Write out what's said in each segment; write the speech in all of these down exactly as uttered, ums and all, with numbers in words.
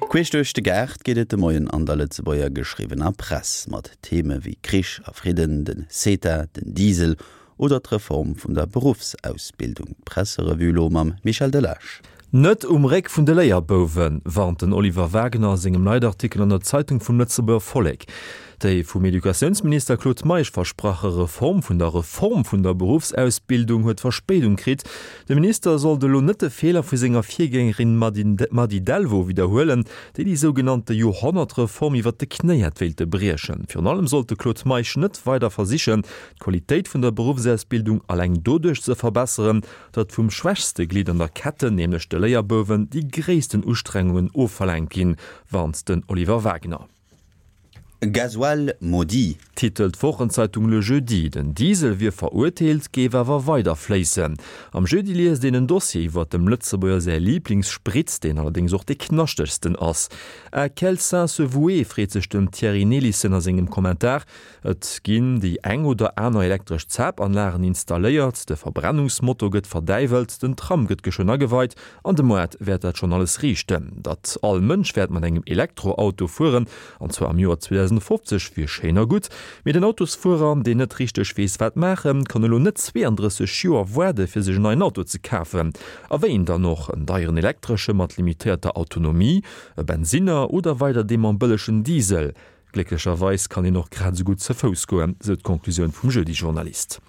Queesch duerch de Gaart geet et de Moien an der Lëtzebuerger geschriwwener Press, mat Theme wéi Krich a Fridden, den CETA, den Diesel oder d'Reform vun der Beruffsausbildung. D'Presserevue elo mam Michel Delage. Net um Réck vun de Léierbouwen, warnt den Oliver Wagner a sengem Leitartikel an der Zeitung vum Lëtzebuerger Vollek. Déi vum Educatiounsminister Claude Meisch versprache Reform vun der Reform vun der Beruffsausbildung huet Verspéidung kritt. De Minister sollt elo net de Feeler vu senger Virgängerin Mady Delvaux widderhuelen, déi déi sougenannte Joerhonnertreform iwwert de Knéi hätt wéilte briechen. Virun allem sollt de Claude Meisch net weider versichen, d'Qualitéit vun der Beruffsausbildung alleng doduerch ze verbesseren, datt vum schwächste Glidd an der Ketten, nämlech de Léierbouwen, déi gréissten Ustrengungen ofverlaangt ginn, warnt den Oliver Wagner. Gasoil maudit. Titelt d'Wochenzeitung Le Jeudi. Den Diesel wier verurteelt, géif awer weider fléissen. Am Jeudi liest een en Dossier iwwer dem Lëtzebuerger säi Liiblingssprit, deen allerdéngs och dee knaschtegsten ass. À quel saint se vouer? freet sech den Thierry Nelissen a sengem Kommentar. Et ginn déi eng oder aner elektresch Zapanlagen installéiert, de Verbrennungsmotor gëtt verdäiwelt, den Tram gëtt geschwënn ageweit an de Moart wäert dat schonn alles riichten. Datt all Mënsch wäert mat engem Elektroauto fueren, an zwar am Joer zweedausendfofzeg, wier schéin a gutt, mee den Autosfuerer, deen net richteg weess wat maachen, kann elo net zweeandrësseg Joer waarde fir sech en neien Auto ze kafen. A wéi een dann och, en deieren elektresche mat limitéierter Autonomie, e Bensinner oder weider dee mam bëllegen Diesel? Glécklecherweis kann een och grad esou gutt ze Fouss goen, sou d'Conclusioun vum Jeudi-Journalist.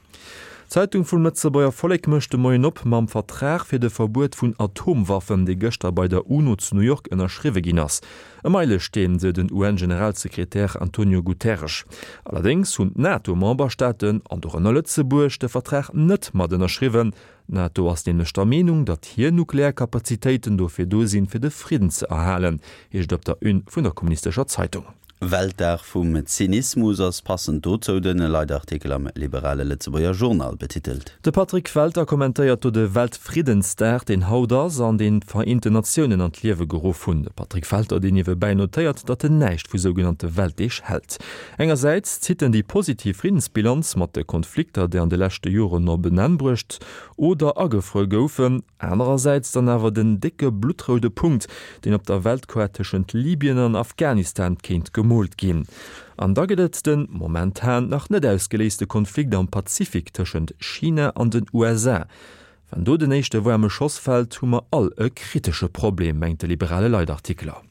D'Zeitung vum Lëtzebuerger Vollek mécht de Moien op mam Vertrag fir de Verbuet vun Atomwaffen, dee gëschter bei der UNO zu New York ënnerschriwwe ginn ass. E Meilesteen, sou den U N-Generalsekretär Antonio Guterres. Allerdéngs hunn d'NATO-Memberstaaten, an dorënner Lëtzebuerg, de Vertrag net mat ënnerschriwwen. D'NATO ass nämlech der Meenung, datt hir nuklear Kapazitéiten dofir do sinn, fir de Fridden ze erhalen, heescht et op der Une vun der kommunistescher Zeitung. Weltdag vum Zynismus ass passend dozou den Leitartikel am liberale Lëtzebuerger Journal betitelt. De Patrick Welter kommentéiert do de Weltfriddensdag, deen haut ass an deen d'Vereenten Natiounen an d'Liewe geruff hunn. De Patrick Welter, deen niewebäi notéiert, datt en näischt vu sougenannte Weltdeeg hält. Engersäits zitt en déi positiv Friddensbilanz mat de Konflikter, déi an de leschte Joren op en Enn bruecht oder agefruer goufen, anerersäits dann awer den décke bluttroude Punkt, deen op der Weltkaart tëschent Libyen an Afghanistan kéint gemoolt ginn. An da gëtt et den momentan nach net ausgeléiste Konflikt am Pazifik tëschent China an den U S A. Wann do den éischte waarme Schoss fält, hu mer all e kritesche Problem, mengt de liberale Leitartikler.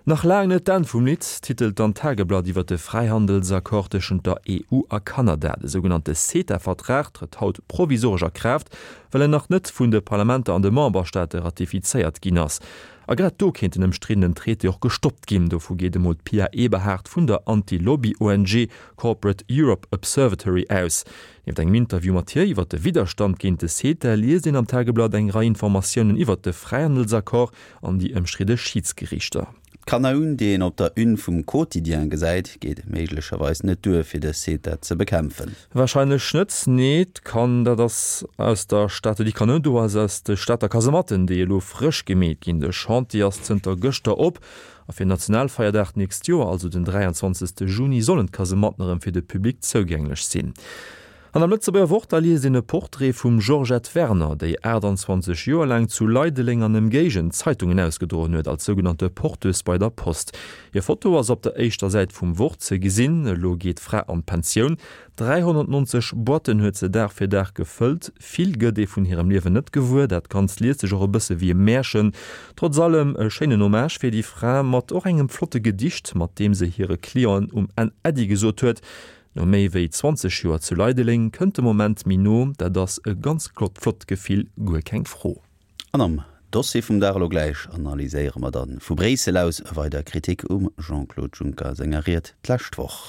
Nach laang net d'Enn vum Lidd, titelt dann d'Tageblatt iwwer de Fräihandelsaccord tëschent der E U a Kanada. De sougenannte CETA-Vertrag trëtt haut provisoresch a Kraaft, well en nach net vun de Parlamenter an de Memberstaate ratifizéiert ginn ass. A grad do kéint den ëmstriddenen Traité och gestoppt ginn. Dovu geet emol d'Pia Eberhardt vun der Anti-Lobby-O N G Corporate Europe Observatory aus. Nieft engem Interview mat hir iwwer de Widderstand géint de CETA liest een am Tageblatt eng Rei Informatiounen iwwer de Fräihandelsaccord an déi ëmstridde Schidsgeriichter. D'Kanoun, déi een op der Une vum Quotidien gesäit, geet méiglecherweis net duer fir de CETA ze bekämpfen. Warscheinlech net, nee. D'Kan dat ass aus der Stad, déi Kanoun do ass aus de Stater Kasematten, déi elo frësch gemeet ginn. De Chantier ass zënter gëschter op a fir Nationalfeierdag d'nächst Joer, also den dräianzwanzegste Juni, sollen d'Kasematten erëm fir de Public zougänglech sinn. An am Lëtzebuerger Wort, da liest een e Portrait vum Georgette Werner, déi aachtanzwanzeg Joer laang zu Leideleng an Ëmgéigend Zeitungen ausgedroen huet, als sougenannte Porteuse bei der Post. Hir Foto ass op der éischter Säit vum Wort ze gesinn. Elo geet d'Fra an d'Pensioun. dräihonnertnonzeg Boîtten huet se Dag fir Dag gefëllt. Vill gëtt ee vun hirem Liewen net gewuer, dat Ganzt liest sech och e bësse wéi e Märchen. Trotz allem e schéinen Hommage fir déi Fra, mat och engem flotte Gedicht, mat deem se hire Clienten um Enn Äddi gesot huet. No méi wéi zwanzeg Joer zu Leideleng kënnt de Moment méi no, dat ass e ganz flott Gefill, guer keng Fro. An am Dossier vum Dag elo gläich analyséiere mer dann vu Bréissel aus weider Kritik um Jean-Claude Juncker senger Ried d'lescht Woch.